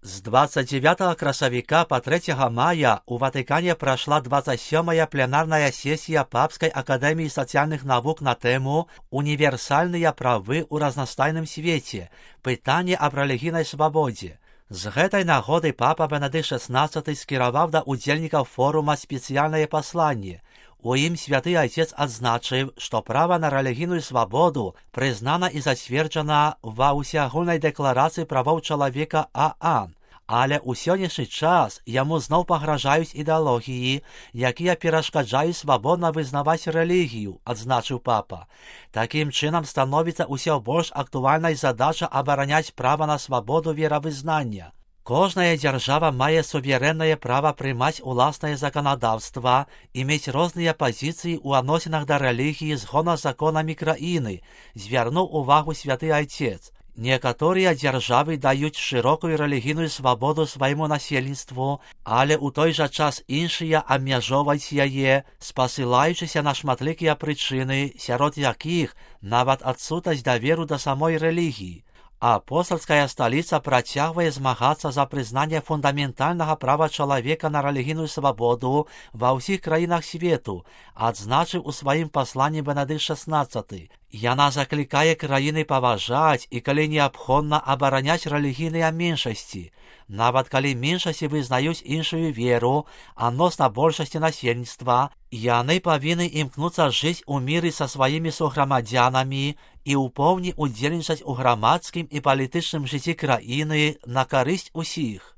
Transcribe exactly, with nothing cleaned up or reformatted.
С двадцать девятого красавіка по третьего мая у Ватикане прошла двадцать сёмая пленарная сессия Папской академии социальных наук на тему «Универсальные правы у разнастайным свете. Пытание об религійнай свободе». З гэтай нагоды папа Бенедикт шестнадцатый скіраваў да удзельнікаў форума спецыяльнае пасланне. У ім святы айцец адзначыў, што права на рэлігійную свабоду прызнана і зацверджана ва ўсеагульнай дэкларацыі правоў чалавека ААН, але ў сённяшні час яму зноў пагражаюць ідэалогіі, якія перашкаджаюць свабодна вызнаваць рэлігію, адзначыў папа. Такім чынам становіцца ўсё больш актуальнай задача абараняць права на свабоду веравызнання. Кожная дзяржава мае суверэннае права прымаць уласнае заканадаўства і мець розныя пазіцыі ў адносінах да рэлігіі згодна з законамі краіны, звярнуў увагу святы айцец. Некаторыя дзяржавы даюць шырокую рэлігійную свабоду свайму насельніцтву, але ў той жа час іншыя абмяжоўваюць яе, спасылаючыся на шматлікія прычыны, сярод якіх нават адсутнасць даверу да самой рэлігіі. Апостальская сталіца працягвае змагацца за прызнанне фундаментальнага права чалавека на рэлігійную свабоду ва ўсіх краінах свету, адзначыў у сваім пасланні Бенедикт шестнадцатый. Яна заклікае краіны паважаць і, калі неабходна, абараняць рэлігійныя меншасці. Нават калі меншасці вызнаюць іншую веру, адносна большасці насельніцтва, яны павінны імкнуцца жыць у міры са сваімі суграмадзянамі і ў поўні удзельнічаць у грамадскім і палітычным жыцці краіны на карысць усіх.